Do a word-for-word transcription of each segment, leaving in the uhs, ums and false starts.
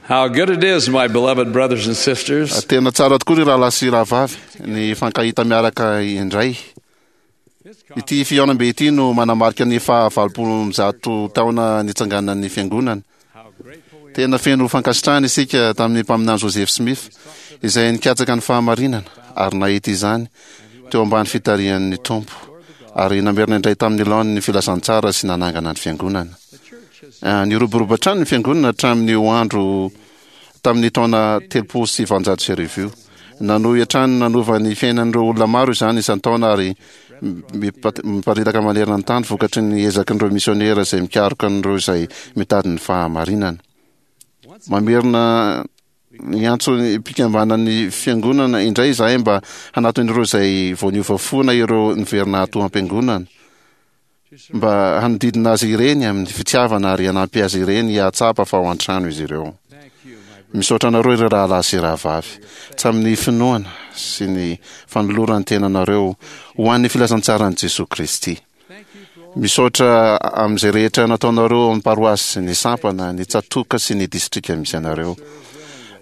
How good it is, my beloved brothers and sisters, Tena tsara tokoa ry rahalahy sy rahavavy ny fankahita miaraka indray. Ity fihaonambe ity no manamarika ny fahavalopolo amby zato taona nitsanganan'ny fiangonana. Tena feno fankasitrahana isika tamin'ny mpaminany Joseph Smith izay nikatsaka ny fahamarinana ary nahita izany teo ambany fitarihan'ny Tompo ary namerina indray tamin'ny laoniny ny filazantsara sy nanangana ny fiangonana. Niroborobo hatrany ny fiangonana hatramin'io andro tamin'ny taona telopolo sy valonjato sy arivo io. Nanohy hatrany nanova ny fiainan'ireo olona maro izany isan-taona ary miparitaka manerana ny tany vokatry ny ezakin'ireo misionera izay mikaroka an'ireo izay mitady ny fahamarinana. Mamerina ny antso ny mpikambanan'ny fiangonana indray izahay mba hanatona ireo izay vao niova fo na ireo niverina ato am-piangonana, mba hanodidina azy ireny amin'ny fitiavana ary hanampy azy ireny hahatsapa fa ao an-trano izy ireo. Misaotra anareo ireo rahalahy sy rahavavy tamin'ny finoana sy ny fanoloran'ny tenanareo ho an'ny filazantsaran'i Jesoa Kristy. Misaotra amin'izay rehetra nataonareo amin'ny paroasy, ny sampana, ny tsatòka sy ny distrika misy anareo.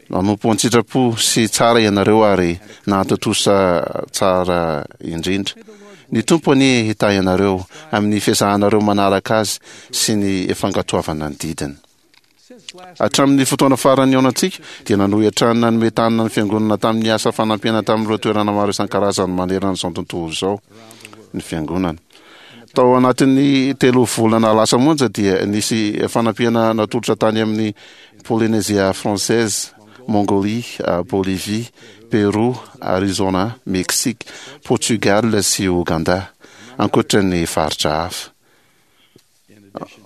Nanompo an-tsitrapo sy tsara ianareo ary nahatontosa tsara indrindra. Ny Tompo anie hitahy anareo amin'ny fiezahanareo manaraka azy sy ny fankatoavana ny didiny. Hatramin'ny fotoana farany nihaonantsika dia nanohy hatrany nanome tanana ny fiangonana tamin'ny asa fanampiana tamin'ireo toerana maro isan-karazany manerana izao tontolo izao ny fiangonana. Tao anatin'ny telo volana lasa monja dia nisy fanampiana natolotra tany amin'ny Polynésie française, Mongolie, Bolivie, Pérou, Arizona, Mexique, Portugal sy Ouganda, ankoatra ny faritra hafa.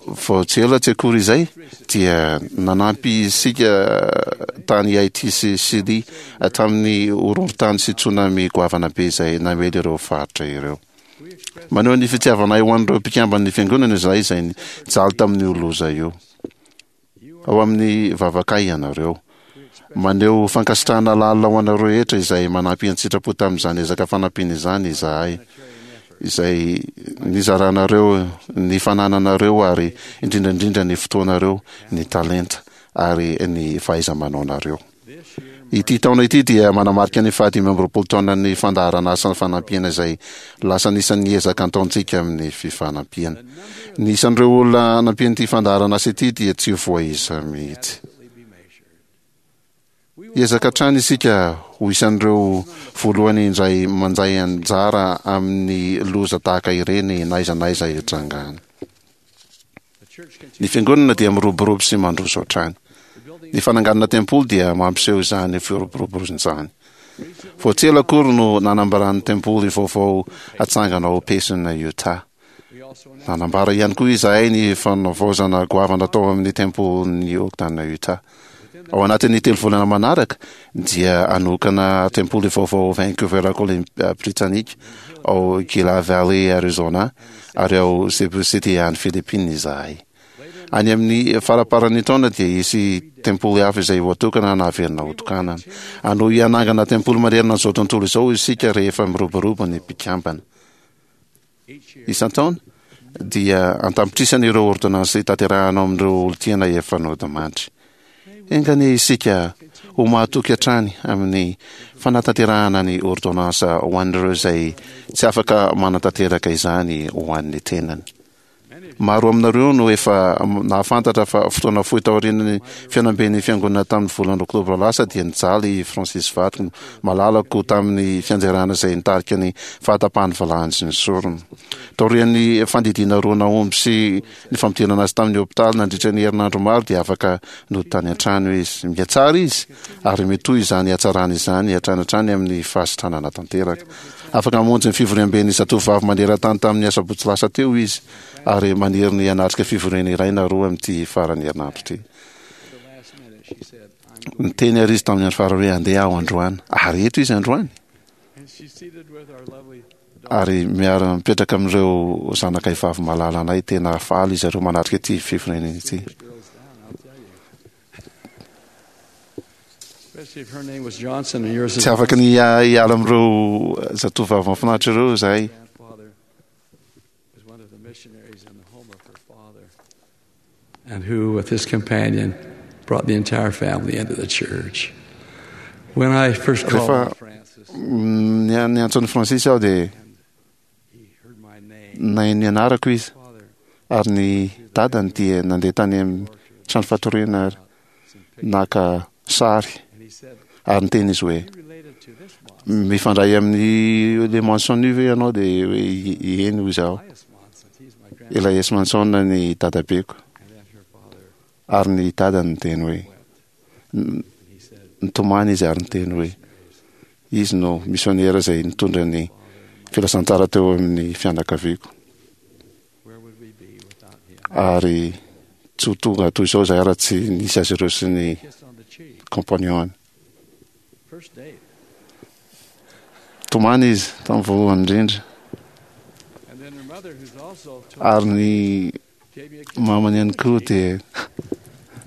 Vao tsy ela tsy akory izay dia nanampy isika tany Haiti sy Chili tamin'ny horohorontany sy tsunami goavana be izay namely ireo faritra ireo. Maneho ny fitiavanay ho an'ireo mpikamban'ny fiangonana izahay izay nijaly tamin'io loza io. Ao amin'ny vavakay ianareo. Maneho fankasitrahana lalina ho anareo rehetra izay manampy an-tsitrapo tamin'izany ezaka fanampiana izany izahay, izay nizaranareo ny fanananareo ary indrindra indrindra ny fotoanareo, ny talenta ary ny fahaiza-manaonareo. Ity taona ity dia manamarika ny fahadimy amby roapolo taonan'ny fandaharanasa fanampiana izay lasa anisan'ny ezaka ataontsika amin'ny fifanampiana. Ny isan'ireo olona nampian'ity fandaharanasa ity dia tsy voaisa mihitsy. Ezaka hatrany isika ho isan'ireo voalohany indray mandray anjara amin'ny loza tahaka ireny na aiza na aiza hitrangany. Ny fiangonana dia miroborobo sy mandroso hatrany. Ny fananganana tempoly dia mampiseho izany firoborobony izany. Vao tsy ela akory no nanambaran'ny tempoly vaovao hatsangana ao Payson, Utah. Nanambara ihany koa izahay ny fanavaozana goavana tao amin'ny tempolin'i Ogden, Utah. Ao anatin'ny telo volana manaraka dia hanokana tempoly vaovao ao Vancouver, Columbia Britannique, ao Gila Valley, Arizona ary ao Cebu City any Philippines izahay. Any amin'ny faramparan'ny taona dia hisy tempoly hafa izay ho atokana na haverina ho tokanana. Hanohy hanangana tempoly manerana an'izao tontolo izao isika rehefa miroborobo ny mpikambana. Isan-taona dia an-tapitrisany ireo ôrdônansy tanterahana ao amin'ireo olon-tiana efa nodimandry. Enga anie isika ho mahatoky hatrany amin'ny fanatanterahana ny ôrdônansa ho an'ireo izay tsy afaka manatanteraka izany ho an'ny tenany. Maro aminareo no efa nahafantatra fa fotoana fohy taorian'ny fihaonamben'ny fiangonana tamin'ny volana oktobra lasa dia nijaly i Francis vadiko malalako tamin'ny fianjerana izay nitarika ny fahatapahan'ny valahany sy ny sorony. Taorian'ny fandidiana roa nahomby sy ny fampidirana azy tamin'ny hopitaly nandritra ny herinandro maro dia afaka nody tany an-trano izy. Mihatsara izy ary mitohy izany hatsarana izany hatrany hatrany amin'ny fahasitranana tanteraka. Afaka mamonjy ny fivoriamben'ny zatovovavy maneran-tany tamin'ny asabotsy lasa teo izy ary maniry ny hanatrika fivoriana iray na roa amin'ity faran'ny herinandro ity. Niteny ary izy tamin'ny andro farany hoe andeha aho androany. Ary eto izy androany. Ary miara-mipetraka amin'ireo zanakay vavy malala anay, tena faly izy ireo manatrika ity fivoriana ity. Tsy afaka ny hiala amin'ireo zatovovavy mahafinaritra ireo izahay. Was one of the missionaries in the home of her father, and who, with his companion, brought the entire family into the church. When I first called Rehefa Francis, ny niantso an'i Francis aho dia he heard my name. nahay ny anarako izy Father, ary ny dadany dia nandeha tany amin'ny trano fatoriana ary naka sary and he said, ary niteny izy hoe "You related to this Monson, mifandray amin'ny le Manson io ve ianao dia hoe i- eny hoy izaho Elias Monson. He's my grandfather." Elias Manson ny dadabeko And then her father ary ny dadany niteny hoe wept. n- And he said, nitomany izy ary niteny hoe izy no misionera izay nitondra ny filazantsara teo amin'ny fianakaviako "Where would we be without him?" ary tsy ho tonga toy izao izahay raha tsy nisy azy ireo sy ny Kiss on the cheek. compagnon First date. tomany izy tamin'ny voalohany indrindra And then her mother, who's also told, ary ny gave me a kiss. mamany ihany koa dia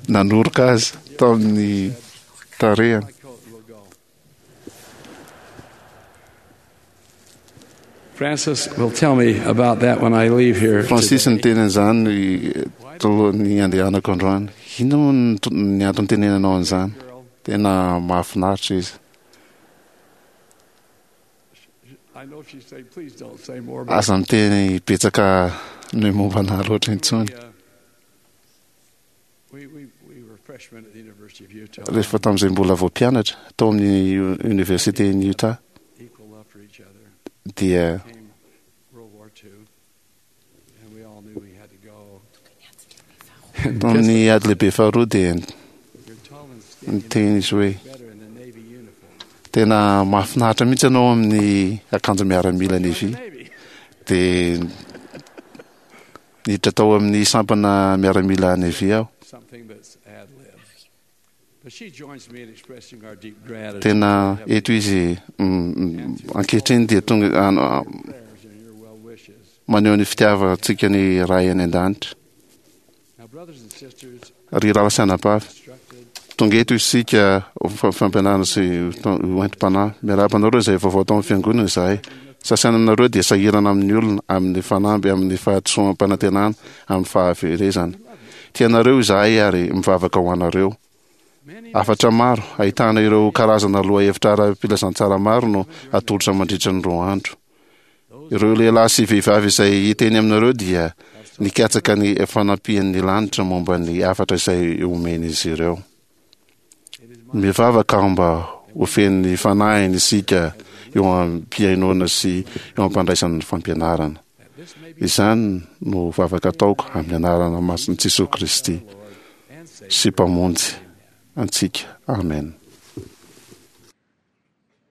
nanoroka azy tamin'ny tarehany My coat will go. Francis will tell me about that when I leave here. Francis today. niteny an'izany talohan'ny andehanako androany inona moa ny to- ny antony tenenanao an'izany Girl, tena mahafinaritra izy I know she'd say, please don't say more. But aza miteny betsaka ny momba anahy loatra intsony we, uh, we, we, we were freshmen at the University of Utah. rehefa tamin'izay mbola vao mpianatra tao amin'ny université ny Utah Equal love for each other. dia Came World War Two, and we all knew we had to go. And tamin'ny ady lehibe faharoa dia you're tall and skinny, niteny izy hoe better in the Navy uniform. tena mahafinaritra mihitsy ianao amin'ny akanjo miaramila navy Navy. dia niditra tao amin'ny sampana miaramila navy aho Something that's ad lib. But she joins me in expressing our deep gratitude. tena eto izy mm, mm, ankehitriny dia tonga an- a- Prayers and your well wishes. maneho ny fitiavantsika ny ray any an-danitra Now, brothers and sisters, ry rahalahy sy anabavy instructed tonga eto isika ho fa- fampianarana sy hoentim-panahy miarahaba anareo izay vaovao tao amin'ny fiangonana izahay sasany aminareo dia sahirana amin'ny olona amin'ny fanamby amin'ny fahadisoam-panantenana amin'ny fahaverezana tianareo izahay ary mivavaka ho anareo many hafatra maro ahitana ireo karazana lohahevitra ara-pilazantsara maro no atolotra mandritra ny roa andro ireo lehilahy sy vehivavy izay hiteny aminareo dia nikatsaka ny fanampian'ny lanitra momba ny hafatra izay omen'izy ireo mivavaka aho mba ho fen'ny fanahiny isika eo am-pihainoana sy eo am-pandraisana ny fampianarana that this may be izany no vavaka ataoko amin'ny anarana masin'i Jesosy Kristy Lord and Savior. sy Mpamonjy antsika amen.